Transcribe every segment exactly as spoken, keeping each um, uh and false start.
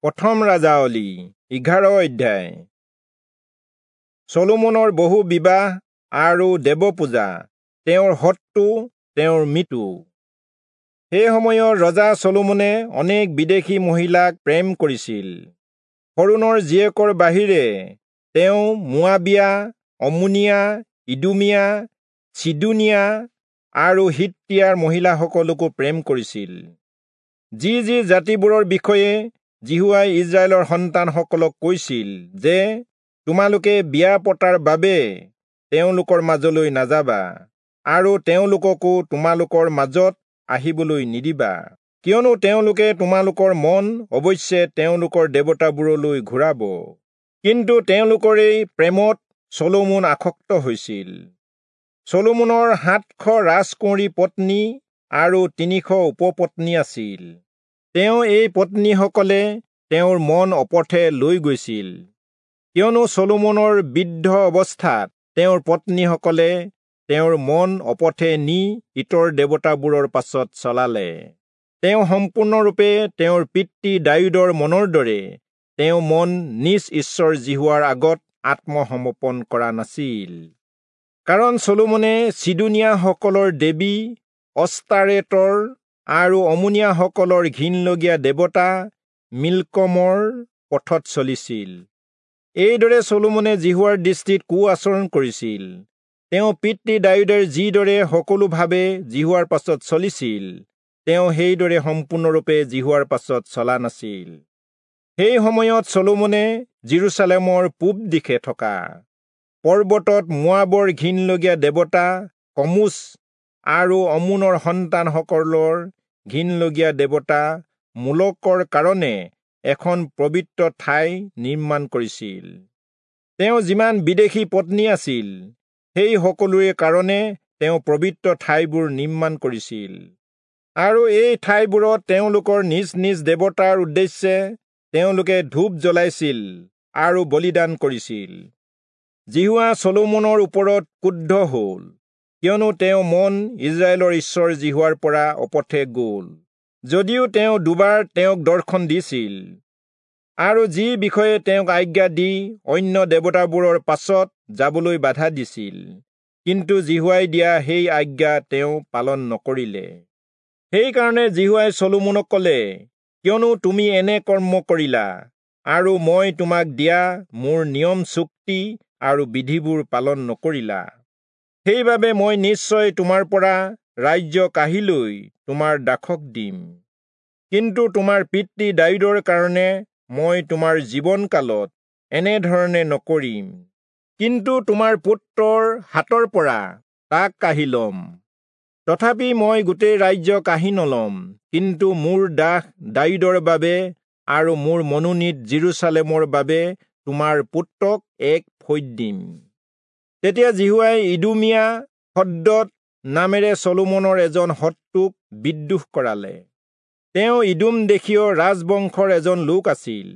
প্ৰথম ৰাজাৱলী এঘাৰ অধ্যায়। চলোমনৰ বহু বিবাহ আৰু দেৱপূজা, তেওঁৰ শত্ৰু, তেওঁৰ মৃত্যু। সেই সময়ত ৰজা চলোমনে অনেক বিদেশী মহিলাক প্ৰেম কৰিছিল। ফৰোণৰ জীয়েকৰ বাহিৰে তেওঁ মোৱাবীয়া, অম্মোনীয়া, ইদোমীয়া, চিদোনীয়া আৰু হিত্তীয়াৰ মহিলাসকলকো প্ৰেম কৰিছিল। যি যি জাতিবোৰৰ বিষয়ে যিহোৱাই ইস্ৰায়েলৰ সন্তানসকলক কৈছিল যে তোমালোকে বিয়া পতাৰ বাবে তেওঁলোকৰ মাজলৈ নাযাবা আৰু তেওঁলোককো তোমালোকৰ মাজত আহিবলৈ নিদিবা, কিয়নো তেওঁলোকে তোমালোকৰ মন অৱশ্যে তেওঁলোকৰ দেৱতাবোৰলৈ ঘূৰাব। কিন্তু তেওঁলোকৰেই প্ৰেমত চলোমন আসক্ত হৈছিল। চলোমনৰ সাতশ ৰাজকুঁৱৰী পত্নী আৰু তিনিশ উপপত্নী আছিল। তেওঁ এই পত্নীসকলে তেওঁৰ মন অপথে লৈ গৈছিল, কিয়নো চলোমনৰ বৃদ্ধ অৱস্থাত তেওঁৰ পত্নীসকলে তেওঁৰ মন অপথে নি ইতৰ দেৱতাবোৰৰ পাছত চলালে। তেওঁ সম্পূৰ্ণৰূপে তেওঁৰ পিতৃ দায়ূদৰ মনৰ দৰে তেওঁ মন নিজ ঈশ্বৰ যিহোৱাৰ আগত আত্মসমৰ্পণ কৰা নাছিল। কাৰণ চলোমনে চিদোনীয়াসকলৰ দেৱী অস্তাৰেতৰ আৰু অম্মোনীয়াসকলৰ ঘিণলগীয়া দেৱতা মিল্কমৰ পথত চলিছিল। এইদৰে চলোমনে যিহোৱাৰ দৃষ্টিত কু আচৰণ কৰিছিল। তেওঁ পিতৃ দায়ূদৰ যিদৰে সকলোভাৱে যিহোৱাৰ পাছত চলিছিল, তেওঁ সেইদৰে সম্পূৰ্ণৰূপে যিহোৱাৰ পাছত চলা নাছিল। সেই সময়ত চলোমনে যিৰূচালেমৰ পূব দিশে থকা পৰ্বতত মোৱাবৰ ঘিণলগীয়া দেৱতা কমোচ আৰু অম্মোনৰ সন্তানসকলৰ ঘিণলগীয়া দেৱতা মোলকৰ কাৰণে এখন পবিত্ৰ ঠাই নিৰ্মাণ কৰিছিল। তেওঁ যিমান বিদেশী পত্নী আছিল, সেই সকলোৰে কাৰণে তেওঁ পবিত্ৰ ঠাইবোৰ নিৰ্মাণ কৰিছিল আৰু এই ঠাইবোৰত তেওঁলোকৰ নিজ নিজ দেৱতাৰ উদ্দেশ্যে তেওঁলোকে ধূপ জ্বলাইছিল আৰু বলিদান কৰিছিল। যিহোৱা চলোমনৰ ওপৰত ক্ৰুদ্ধ হ'ল, কিয়নো তেওঁ মন ইস্ৰায়েলৰ ঈশ্বৰ যিহোৱাৰ পৰা অপথে গ'ল, যদিও তেওঁ দুবাৰ তেওঁক দৰ্শন দিছিল আৰু যি বিষয়ে তেওঁক আজ্ঞা দি অন্য দেৱতাবোৰৰ পাছত যাবলৈ বাধা দিছিল, কিন্তু যিহোৱাই দিয়া সেই আজ্ঞা তেওঁ পালন নকৰিলে। সেইকাৰণে যিহোৱাই চলোমনক ক'লে, কিয়নো তুমি এনে কৰ্ম কৰিলা আৰু মই তোমাক দিয়া মোৰ নিয়ম চুক্তি আৰু বিধিবোৰ পালন নকৰিলা, সেইবাবে মই নিশ্চয় তোমাৰ পৰা ৰাজ্য কাঢ়ি লৈ তোমাৰ দাসক দিম। কিন্তু তোমাৰ পিতৃ দায়ূদৰ কাৰণে মই তোমাৰ জীৱনকালত এনেধৰণে নকৰিম, কিন্তু তোমাৰ পুত্ৰৰ হাতৰ পৰা তাক কাঢ়ি ল'ম। তথাপি মই গোটেই ৰাজ্য কাঢ়ি নল'ম, কিন্তু মোৰ দাস দায়ূদৰ বাবে আৰু মোৰ মনোনীত যিৰূচালেমৰ বাবে তোমাৰ পুত্ৰক এক ফৈদ দিম। তেতিয়া যিহোৱাই ইদোমীয়া হদ্দদ নামেৰে চলোমনৰ এজন শত্ৰুক বিদ্ৰোহ কৰালে। তেওঁ ইদোম দেশীয় ৰাজবংশৰ এজন লোক আছিল।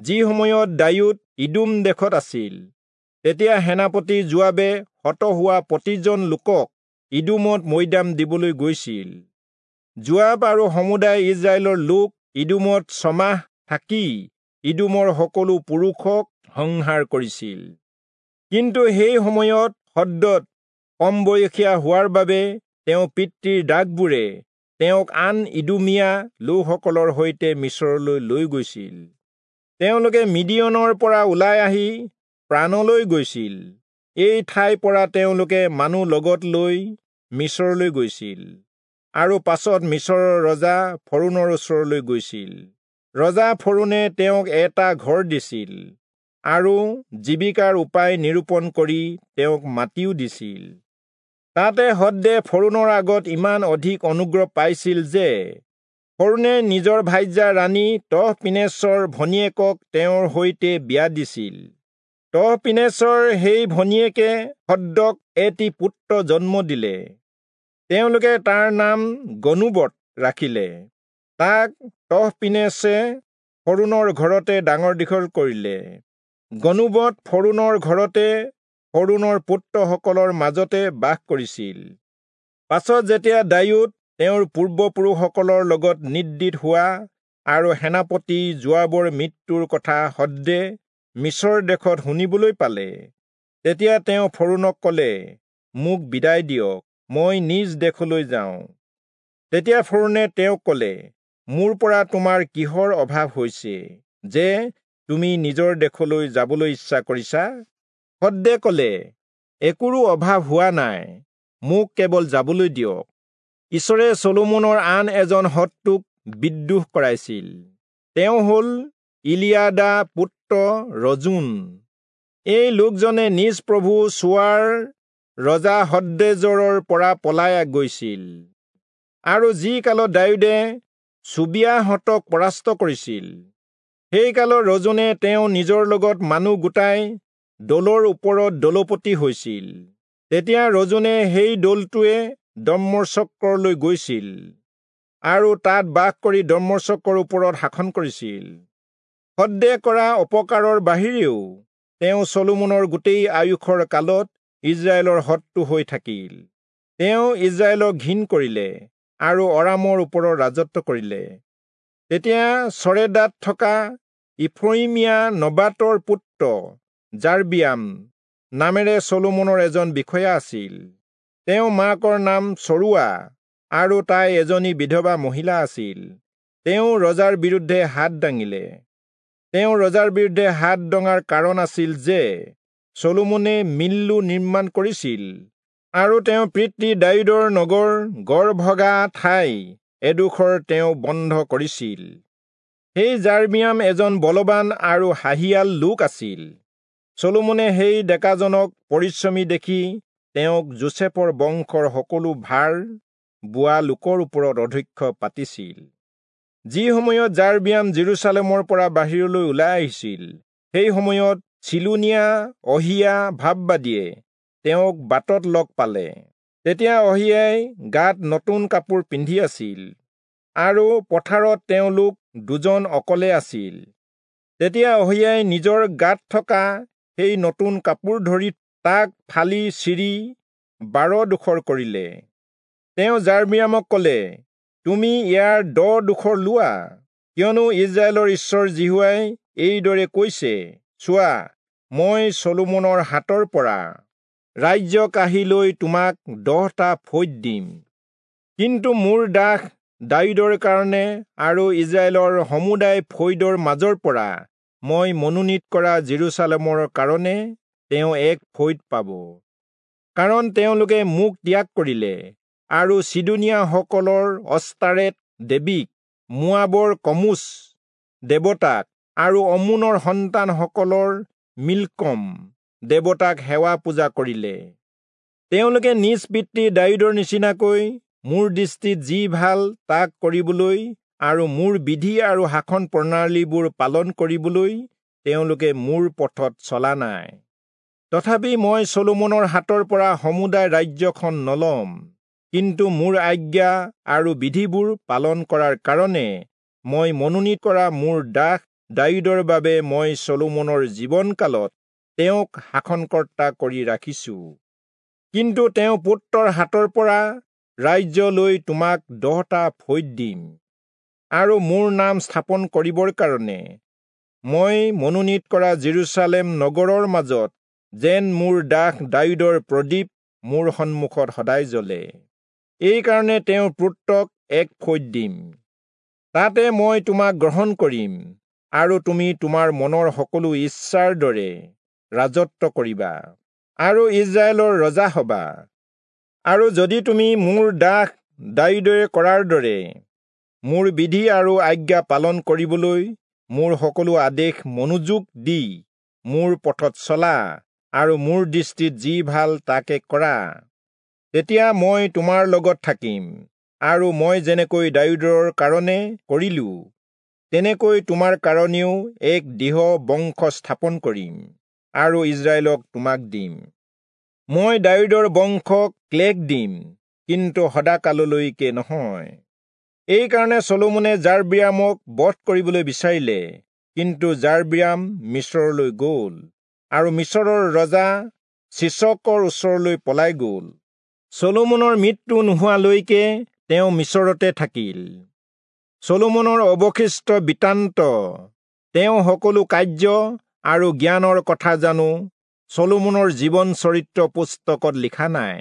যি সময়ত দায়ূদ ইদোম দেশত আছিল, তেতিয়া সেনাপতি যোৱাবে হত হোৱা প্ৰতিজন লোকক ইদোমত মৈদাম দিবলৈ গৈছিল। যোৱাব আৰু সমুদায় ইস্ৰায়েলৰ লোক ইদোমত ছমাহ থাকি ইদোমৰ সকলো পুৰুষক সংহাৰ কৰিছিল। কিন্তু সেই সময়ত হদ্দদ কম বয়সীয়া হোৱাৰ বাবে তেওঁ পিতৃৰ দাসবোৰে তেওঁক আন ইদোমীয়া লোকসকলৰ সৈতে মিচৰলৈ লৈ গৈছিল। তেওঁলোকে মিদিয়নৰ পৰা ওলাই আহি প্ৰাণলৈ গৈছিল। এই ঠাইৰ পৰা তেওঁলোকে মানুহ লগত লৈ মিচৰলৈ গৈছিল আৰু পাছত মিচৰৰ ৰজা ফৰোণৰ ওচৰলৈ গৈছিল। ৰজা ফৰোণে তেওঁক এটা ঘৰ দিছিল আৰু জীৱিকাৰ উপায় নিৰূপণ কৰি তেওঁক মাটিও দিছিল। তাতে হদ্দে ফৰোণৰ আগত ইমান অধিক অনুগ্ৰহ পাইছিল যে ফৰোণে নিজৰ ভাৰ্যা ৰাণী তহপিনেচৰ ভনীয়েকক তেওঁৰ সৈতে বিয়া দিছিল। তহপিনেচৰ সেই ভনীয়েকে হদ্দক এটি পুত্ৰ জন্ম দিলে। তেওঁলোকে তাৰ নাম গনুবত ৰাখিলে। তাক তহপিনেচে ফৰোণৰ ঘৰতে ডাঙৰ দীঘল কৰিলে। গনুবত ফৰোণৰ ঘৰতে ফৰোণৰ পুত্ৰসকলৰ মাজতে বাস কৰিছিল। পাছত যেতিয়া দায়ূদ তেওঁৰ পূৰ্বপুৰুষসকলৰ লগত নিদ্ৰিত হোৱা আৰু সেনাপতি যোৱাবৰ মৃত্যুৰ কথা হদ্দে মিচৰ দেশত শুনিবলৈ পালে, তেতিয়া তেওঁ ফৰোণক কলে, মোক বিদায় দিয়ক, মই নিজ দেশলৈ যাওঁ। তেতিয়া ফৰোণে তেওঁক কলে, মোৰ পৰা তোমাৰ কিহৰ অভাৱ হৈছে যে তুমি নিজৰ দেশলৈ যাবলৈ ইচ্ছা কৰিছা? হদ্দে কলে, একোৰো অভাৱ হোৱা নাই, মোক কেৱল যাবলৈ দিয়ক। ঈশ্বৰে চলোমনৰ আন এজন শত্ৰুক বিদ্ৰোহ কৰাইছিল, তেওঁ হ'ল ইলিয়াদা পুত্ৰ ৰজোন। এই লোকজনে নিজ প্ৰভু চোৱাৰ ৰজা হদ্দেজৰৰ পৰা পলাই গৈছিল। আৰু যি কালত দায়ূদে চুবিয়াহঁতক পৰাস্ত কৰিছিল, সেই কালত ৰজোনে তেওঁ নিজৰ লগত মানুহ গোটাই দলৰ ওপৰত দলপতি হৈছিল। তেতিয়া ৰজোনে সেই দলটোৱে দম্মচক্কৰলৈ গৈছিল আৰু তাত বাস কৰি দম্মচক্কৰ ওপৰত শাসন কৰিছিল। হদ্দে কৰা অপকাৰৰ বাহিৰেও তেওঁ চলোমনৰ গোটেই আয়ুসৰ কালত ইজৰাইলৰ শত্ৰু হৈ থাকিল। তেওঁ ইজৰাইলক ঘিণ কৰিলে আৰু অৰামৰ ওপৰত ৰাজত্ব কৰিলে। তেতিয়া চৰেদাত থকা ইফ্ৰয়িমীয়া নবাতৰ পুত্ৰ যাৰবিয়াম নামেৰে চলোমনৰ এজন বিষয়া আছিল। তেওঁ মাকৰ নাম চৰুৱা আৰু তাই এজনী বিধৱা মহিলা আছিল। তেওঁ ৰজাৰ বিৰুদ্ধে হাত দাঙিলে। তেওঁ ৰজাৰ বিৰুদ্ধে হাত দঙাৰ কাৰণ আছিল যে চলোমনে মিল্লো নিৰ্মাণ কৰিছিল আৰু তেওঁ পিতৃ দায়ূদৰ নগৰ গড়ভগা ঠাই এডোখৰ তেওঁ বন্ধ কৰিছিল। সেই যাৰবিয়াম এজন বলৱান আৰু সাহিয়াল লোক আছিল। চলোমনে সেই ডেকাজনক পৰিশ্ৰমী দেখি তেওঁক যোচেফৰ বংশৰ সকলো ভাৰ বোৱা লোকৰ ওপৰত অধ্যক্ষ পাতিছিল। যি সময়ত যাৰবিয়াম জেৰুচালেমৰ পৰা বাহিৰলৈ ওলাই আহিছিল, সেই সময়ত চিলোনীয়া অহিয়া ভাববাদীয়ে তেওঁক বাটত লগ পালে। তেতিয়া অহিয়াই গাত নতুন কাপোৰ পিন্ধি আছিল আৰু পথাৰত তেওঁলোক দুজন অকলে আছিল। তেতিয়া অহিয়াই নিজৰ গাত থকা সেই নতুন কাপোৰ ধৰি তাক ফালি চিৰি বাৰ ডোখৰ কৰিলে। তেওঁ যাৰবিয়ামক কলে, তুমি ইয়াৰ দহ ডোখৰ লোৱা, কিয়নো ইজৰাইলৰ ঈশ্বৰ যিহোৱাই এইদৰে কৈছে, চোৱা, মই চলোমনৰ হাতৰ পৰা ৰাজ্য কাঢ়ি লৈ তোমাক দহটা ফৈদ দিম। কিন্তু মোৰ দাস দায়ূদৰ কাৰণে আৰু ইজৰাইলৰ সমুদায় ফৈদৰ মাজৰ পৰা মই মনোনীত কৰা জেৰুচালেমৰ কাৰণে তেওঁ এক ফৈদ পাব, কাৰণ তেওঁলোকে মোক ত্যাগ কৰিলে আৰু চিদোনীয়াসকলৰ অস্তাৰেত দেৱীক, মোৱাবৰ কমোচ দেৱতাক আৰু অম্মোনৰ সন্তানসকলৰ মিল্কম দেৱতাক সেৱা পূজা কৰিলে। তেওঁলোকে নিজ পিতৃ দায়ূদৰ নিচিনাকৈ মোৰ দৃষ্টিত যি ভাল তাক কৰিবলৈ আৰু মোৰ বিধি আৰু শাসন প্ৰণালীবোৰ পালন কৰিবলৈ তেওঁলোকে মোৰ পথত চলা নাই। তথাপি মই চলোমনৰ হাতৰ পৰা সমুদায় ৰাজ্যখন নলম, কিন্তু মোৰ আজ্ঞা আৰু বিধিবোৰ পালন কৰাৰ কাৰণে মই মনোনীত কৰা মোৰ দাস দায়ূদৰ বাবে মই চলোমনৰ জীৱনকালত তেওঁক শাসনকৰ্তা কৰি ৰাখিছো। কিন্তু তেওঁ পুত্ৰৰ হাতৰ পৰা ৰাজ্য লৈ তোমাক দহটা ফৈদ দিম, আৰু মোৰ নাম স্থাপন কৰিবৰ কাৰণে মই মনোনীত কৰা জেৰুচালেম নগৰৰ মাজত যেন মোৰ দাস দায়ূদৰ প্ৰদীপ মোৰ সন্মুখত সদায় জ্বলে, এইকাৰণে তেওঁৰ পুত্ৰক এক ফৈদ দিম। তাতে মই তোমাক গ্ৰহণ কৰিম আৰু তুমি তোমাৰ মনৰ সকলো ইচ্ছাৰ দৰে ৰাজত্ব কৰিবা আৰু ইজৰাইলৰ ৰজা হবা। আৰু যদি তুমি মোৰ দাস দায়ূদে কৰাৰ দৰে মোৰ বিধি আৰু আজ্ঞা পালন কৰিবলৈ মোৰ সকলো আদেশ মনোযোগ দি মোৰ পথত চলা আৰু মোৰ দৃষ্টিত যি ভাল তাকে কৰা, তেতিয়া মই তোমাৰ লগত থাকিম আৰু মই যেনেকৈ দায়ূদৰ কাৰণে কৰিলো তেনেকৈ তোমাৰ কাৰণেও এক দৃঢ় বংশ স্থাপন কৰিম আৰু ইজৰাইলক তোমাক দিম। মই দায়ূদৰ বংশক ক্লেশ দিম, কিন্তু সদাকাললৈকে নহয়। এইকাৰণে চলোমনে যাৰবিয়ামক বধ কৰিবলৈ বিচাৰিলে, কিন্তু যাৰবিয়াম মিচৰলৈ গ'ল আৰু মিচৰৰ ৰজা চিচকৰ ওচৰলৈ পলাই গ'ল। চলোমনৰ মৃত্যু নোহোৱালৈকে তেওঁ মিচৰতে থাকিল। চলোমনৰ অৱশিষ্ট বৃত্তান্ত, তেওঁ সকলো কাৰ্য আৰু জ্ঞানৰ কথা জানো চলোমনৰ জীৱন চৰিত্ৰ পুস্তকত লিখা নাই?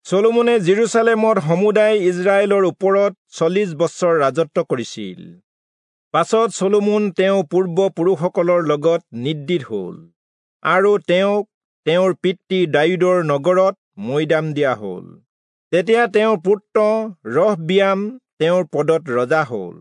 চলোমনে যিৰূচালেমত সমুদায় ইস্ৰায়েলৰ ওপৰত চল্লিশ বছৰ ৰাজত্ব কৰিছিল। পাছত চলোমন তেওঁ পূৰ্বপুৰুষসকলৰ লগত নিদ্ৰিত হল আৰু তেওঁক তেওঁৰ পিতৃ দায়ূদৰ নগৰত মৈদাম দিয়া হল। তেতিয়া তেওঁৰ পুত্ৰ ৰহবিয়াম তেওঁৰ পদত ৰজা হল।